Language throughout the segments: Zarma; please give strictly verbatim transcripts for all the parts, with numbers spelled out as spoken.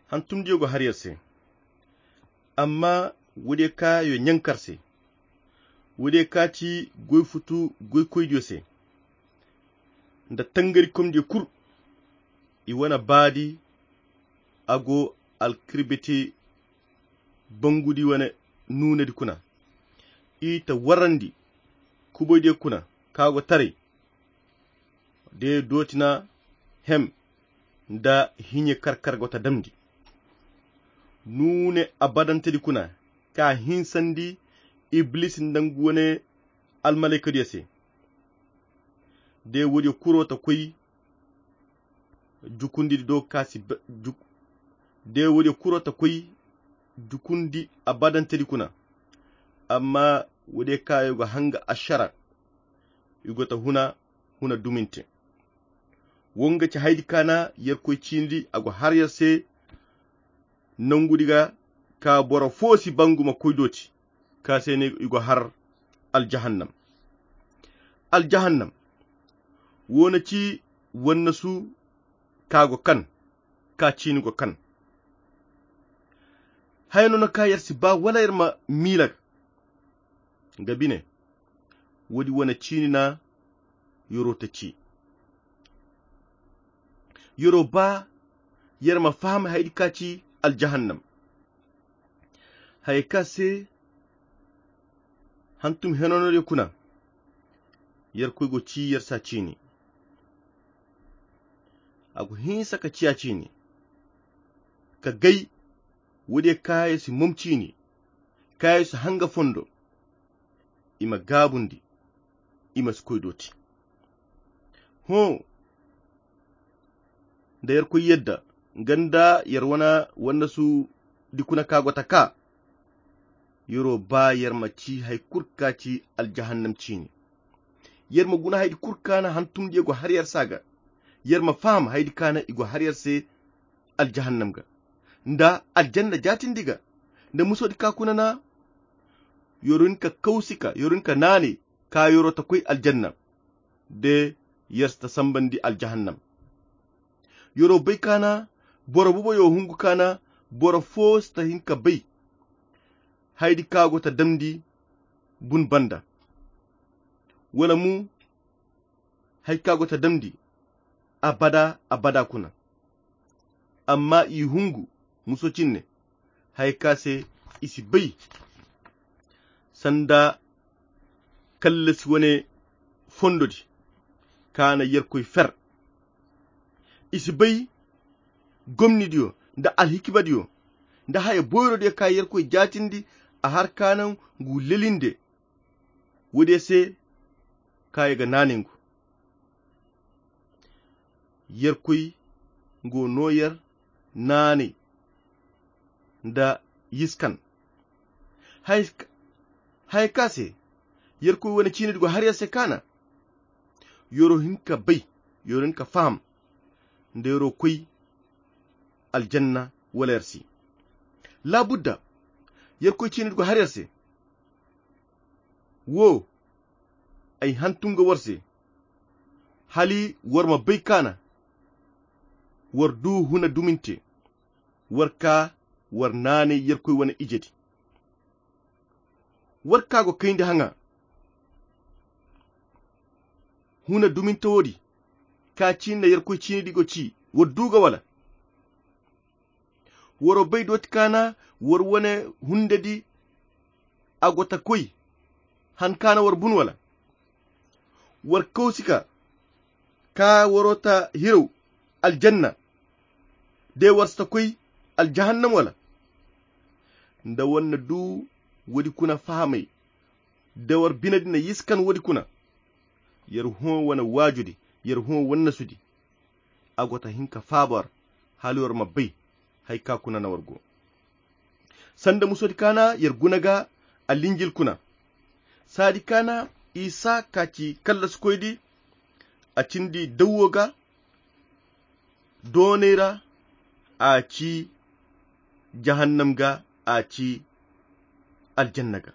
Hantumdiyo go har yer se. Amma woodiyo ka yo ɲankar se, woodiyo ka ci goy futu goykoydiyo se, nda tangarikomdiyo kul, i wane baadi a go alkirbiti bangudi wane nuunedi kuna. I ta warandi kuboydiyo kuna ka go taray de dooti na hem nda hiɲe karkar go ta damndi nuune abadantedi kuna ka hinsandi ibilisi nda ngu wane almalaykadiyo se. De woodiyo kuro ta koy jukundi do ka si de woodiyo kuro ta koy jukundi abadantedi kuna. Amma woodiyo ka yo go hanga ašara i go ta huna huna duminte. Wo nga ci haydi ka na yerkoy ciinidi a go har yer se nangudi ga ka boro fo si bangu ma koy dooti ka se ne i go har aljahannam. Aljahannam wo na ci wannasu ka go kan ka ciini go kan. Haya no na ka yer si ba wala yer ma miila ga bine. Woodi wane ciini na yoro ta ci yoro ba yer ma faham haydi ka ci aljahannam. Haya ka se hantum henonodiyo kuna yerkoy go ci yer sa ciini. A go hinsa ka ciya ciini ka gay woodiyo ka yer si mom ciini ka yer si hanga fondo i ma gaabundi i ma si koy dooti. Hõ nda yerkoy yadda nga nda yer wane wannasudi kuna ka go ta ka yero ba yer ma ci hay kul ka ci aljahannam ciini. Yer ma guna haydi kul ka na hantumdiyo go har yer se a ga. Yer ma faham haydi ka na i go har yer se aljahannam ga nda aljanna jaatindi ga nda musodi ka kuna na yoro hin ka kawsi ka yoro hin ka naanay ka yoro ta koy aljanna de yer si ta sambandi aljahannam. Yoro bay ka na boro bubo yo hungu ka na boro fo si ta hin ka bay haydi ka go ta damndi bun banda wala mo hay ka go ta damndi abada abada kuna. Amma i hungu muso cinne hay ka se i si bay sanda kallasi wane fondodi ka na yerkoy fer. I si bay gomnidiyo nda alhikimadiyo nda haya boyrodiyo ka yerkoy jaatindi a har ka na ngu lelinde woodiyo se ka yer ga naanay ngu. Yerkoy ngu no yer naanay nda yiskan haya ka se yerkoy wane ciinidi go har yer se ka na yoro hin ka bay yoro hin ka faham nda yoro koy aljanna wala yer si. Laabudda yerkoy ciinidi go har yer se. Wo ay hantum ga war se hala war ma bay ka na war du huna duminte war ka war naanay yerkoy wane ijedi. War ka go kayndi haŋa huna duminte woodi ka ciini na yerkoy ciinidi go ci war du ga wala? Waro bay dooti ka na war wane hundedi a go ta koy han ka na war bun wala? War kawsi ka ka waro ta hiraw aljanna de war si ta koy aljahannam wala? Nda war na du woodi kuna fahamay de war binedi na yiskan woodi kuna. Yer hõ wane waajudi yer hõ wannasudi a go ta hin ka faaba war hala war ma bay hay ka kuna na war go. Sanda musodi ka na yer guna ga alinjil kuna saadi ka na isa ka ci kallasikoydi a cindi dawwo ga doonay ra a ci jahannam ga a ci aljanna ga.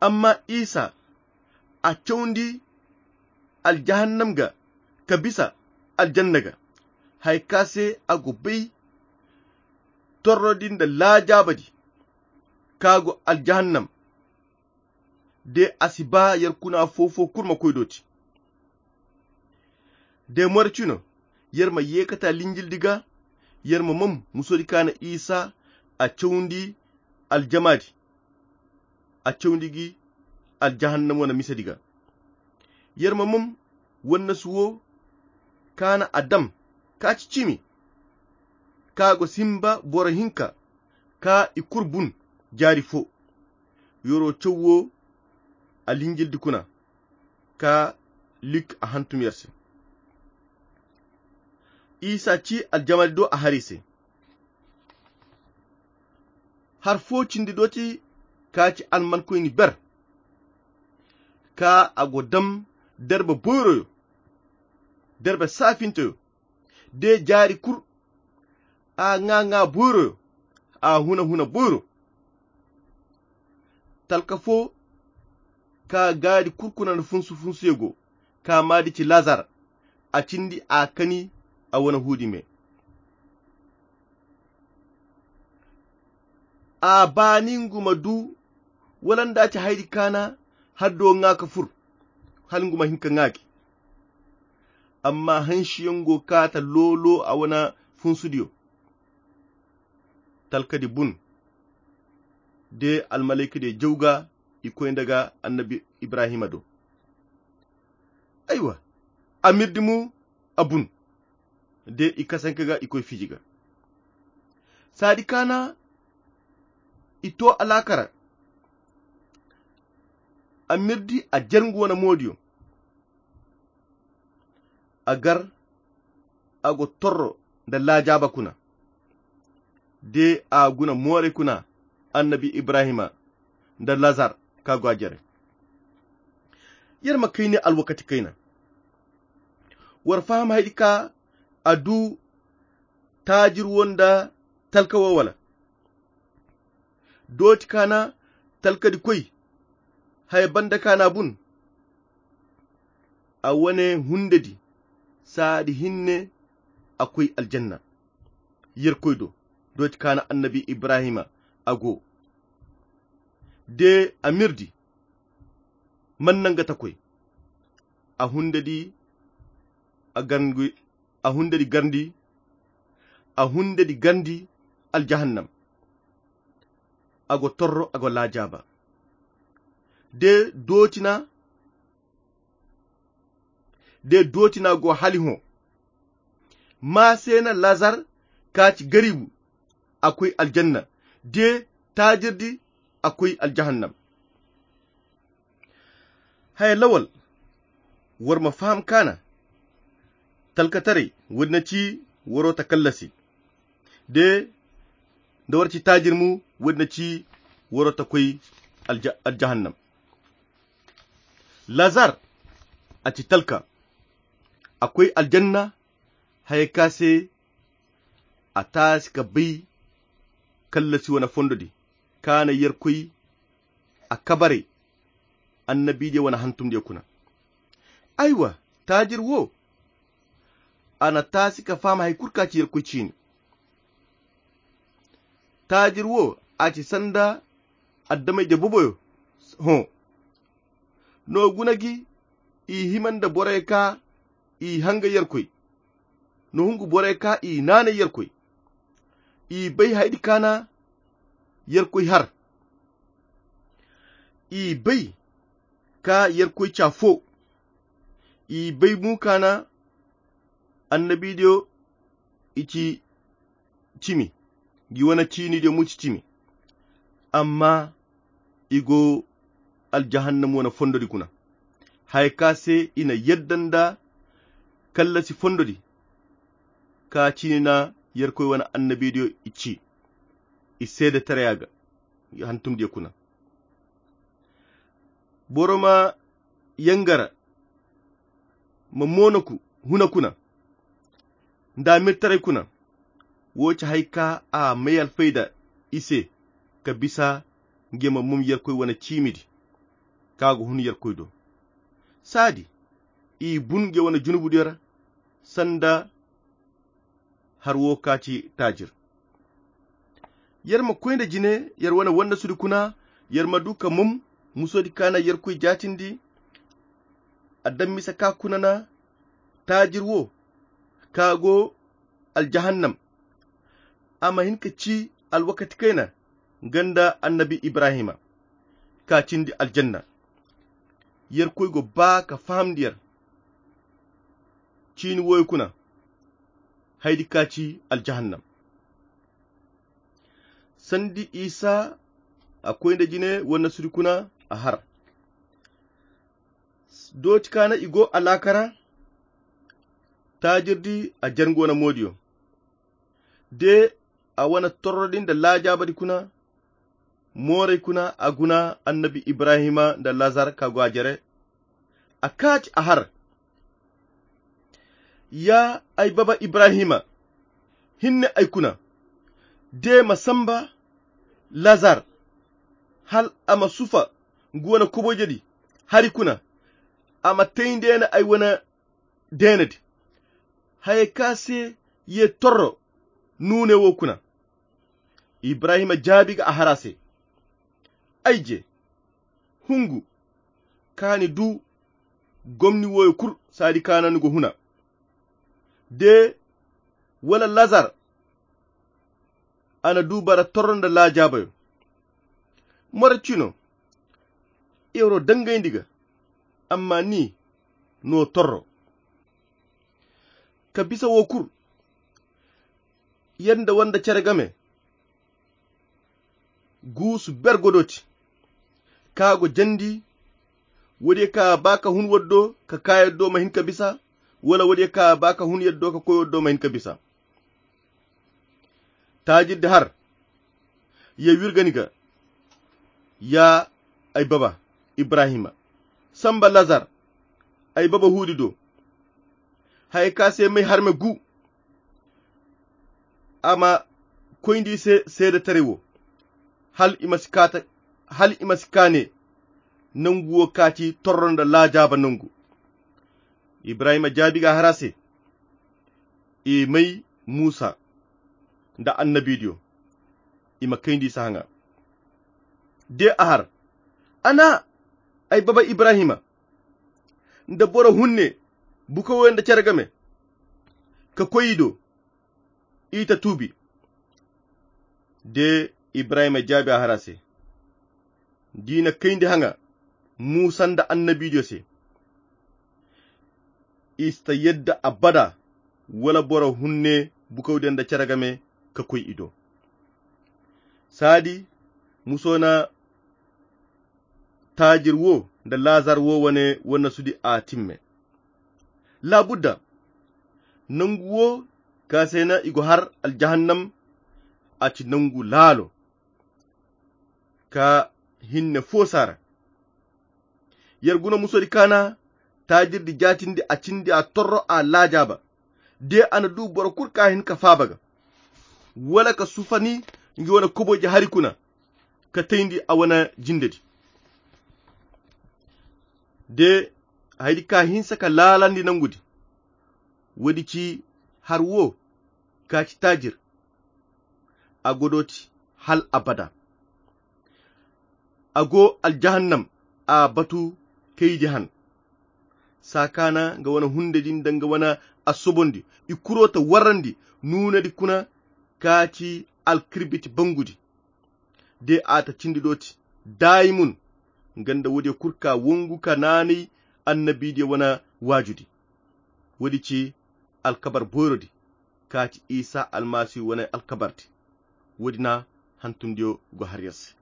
Amma isa a cawndi aljahannam ga ka bisa aljanna ga. Hay ka se a go bay torrodi nda laajaabadi ka go aljahannam. De a si ba yer kuna foo-foo kul ma koy dooti. De more cino, yer ma yeekata linjildi ga, yer ma mom musodi ka na isa a cawndi aljamaadi, a cawndi gi aljahannam wane misedi ga. Yer ma mom wannasu wo ka na a dam ka ci cimi, ka go simba boro hinka ka i kul bun jaari fo. Yer'o caw wo a linjildi kuna ka lik a hantum yer se. Isa ci aljamaadi do a har i se. Har foo cindi dooti ka ci almankoyni ber, ka a go dam derbe boyroyo, derbe saafinteyo, de jaari kul a ŋaa-ŋaa boyroyo, a huna-huna boyro. Talka foo ka gaadi kul kuna nda funsu-funsuyo go, ka maadi ci lazar, a cindi a kani a wane huudi me. A baani ngu ma du wala nda ci haydi kaana haddo ŋaa ka fur, hala ngu ma hin ka ŋaa gi. Amma hansiyaŋ go kaata loolo a wane funsudiyo. Talkadi bun de almalaykadiyo jaw ga i koy nda ga annabi ibrahima do. Aywa, a mirdi mo a bun de i kasanka ga i koy fiji ga. Saadi kaana i to alaakara. A mirdi a jer ngu wane moodiyo. A gar a go torro nda laajaaba kuna. De a guna mooray kuna annabi ibrahima nda lazar ka go a jere. Yer ma kayni alwakati kayna. War faham haydi ka a du taajir wo nda talka wo wala? Dooti kaana talkadi koy haya banda kaana bun. A wane hundedi saadi hinne a koy aljanna. Yerkoy do dooti kaana annabi ibrahima a go de a mirdi man nangata koy a hundedi a garndi a hundedi garndi a hundedi garndi aljahannam. A go torro a go laajaaba de dootina de dootina go hali hõ. Maa se na lazar ka ci garibu a koy aljanna de taajirdi a koy aljahannam. Haya lawal war ma faham kaana talkataray woodi na ci waro ta kallasi de nda war ci taajir mo woodi na ci waro ta koy aljahannam. Lazar a ci talka a koy aljanna. Haya ka se a taasi ka bay kallasi wane fondodi kaana yerkoy a kabaray annabiidiyo wane hantumdiyo kuna. Aywa taajir wo a na taasi ka faham hari kulu ka ci yerkoy ciini. Taajir wo a ci sanda adamay-ize boboyo hõ. No guna gi i hima nda borey ka i hanga yerkoy. No hungu borey ka i naanay yerkoy. I bay haydi kaana yerkoy har. I bay ka yerkoy ca fo. I bay mo kaana annabiidiyo i ci cimi. Ngi wane ciiniidiyo mo ci cimi. Amma i go aljahannam wane fondodi kuna haya ka se i na yadda nda kallasi fondodi ka ciini na yerkoy wane annabiidiyo i ci i seede taraya ga hantumdiyo kuna. Boro ma yangara ma moonaku huna kuna nda mirtaray kuna. Wo ci hari ka a may alfayda i se ka bisa nge ma mum yerkoy wane ciimidi ka go hun yerkoy do. Saadi i bun nge wane junubudiyo ra sanda har wo ka ci taajir. Yer ma koy nda jine yer wane wannasudi kuna. Yer ma du ka mom musodi ka na yerkoy jaatindi. A daŋ mise ka kuna na taajir wo ka go aljahannam. A ma hin ka ci alwakati kayna nga nda annabi ibrahima ka cindi aljanna. Yerkoy go ba ka fahamndi yer ciini wooyo kuna haydi ka ci aljahannam. Sandi isa a koy nda jine wannasudi kuna a har. Dooti ka na i go alaakara taajirdi a jarngo na moodiyo de a wane torrodi nda laajaabadi kuna. Mooray kuna a guna annabi ibrahima nda lazar ka go a jere. A kaati a har ya ay baba ibrahima, hinne ay kuna de ma samba lazar hal a ma sufa ngu wane koboyjedi hari kuna. A ma tayndi ay na ay wane deenedi haya ka se ye torro nuune wo kuna. Ibrahima jaabi ga a har a se, ay je hungu ka ni du gomni wooyo kul saadi ka na ni go huna de wala lazar a na du bara torro nda laajaabayo. Mara cino yer wo dangayndi ga amma ni no torro ka bisa wo kul. Yer nda wanda cere game guusu ber godoti ka go jandi. Woodiyo ka ba ka hun waddo ka ka yaddo ma hin ka bisa wala woodiyo ka ba ka hun yaddo ka koy waddo ma hin ka bisa. Taajirdi har ye wirgani ga ya ay baba ibrahima samba lazar ay baba huudi do. Haya ka se may harme gu a ma koyndi se seedetaray wo hal i ma si kaata hal i ma si kaane nangu wo kaati torro nda laajaaba nangu. Ibrahima jaabi ga har a se i may muusa nda annabiidiyo i ma kayndi i si haŋa. De a har a na ay baba ibrahima nda boro hunne buka woyo nda cere game ka koy i do i ta tuubi. De ibrahima jaabi a har a se da i na kayndi haŋa muusa nda annabiidiyo se i si ta yadda abada wala boro hunne bukawdiyo nda cere game ka koy i do. Saadi muso na taajir wo nda laazar wo wane wannasudi a timme. Laabudda nangu wo ka se na i go har aljahannam a ci nangu laalo ka hinne fo saara. Yer guna musodi kaana taajirdi jaatindi a cindi a torro a laajaaba de a na du boro kul ka hin ka faaba ga wala ka sufani nga wane koboyje hari kuna ka tayndi a wane jindedi. De haydi ka hinsa ka laalandi nangudi woodi ci har wo ka ci taajir a godooti hal abada. A go aljahannam a batu kaydi han saakaana nga wane hundedi nda nga wane asobondi i kuro ta warrandi nuunedi kuna ka ci alkirbiti bangudi de a ta cindi dooti daayimun. Nga nda woodiyo kul ka wongu ka naanay annabiidiyo wane waajudi woodi ci alkabar boyrodi ka ci isa almasihu wane alkabardi. Woodi na hantumdiyo go har yer se.